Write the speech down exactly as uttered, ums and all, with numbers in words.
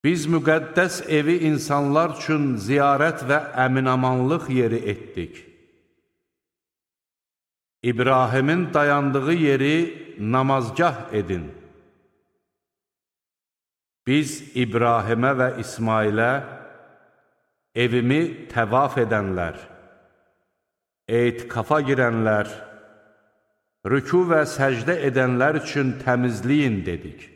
Biz müqəddəs evi insanlar üçün ziyarət və əminamanlıq yeri etdik. İbrahimin dayandığı yeri namazgah edin. Biz İbrahimə və İsmailə evimi təvaf edənlər, etikafa girənlər, rüku və səcdə edənlər üçün təmizləyin dedik.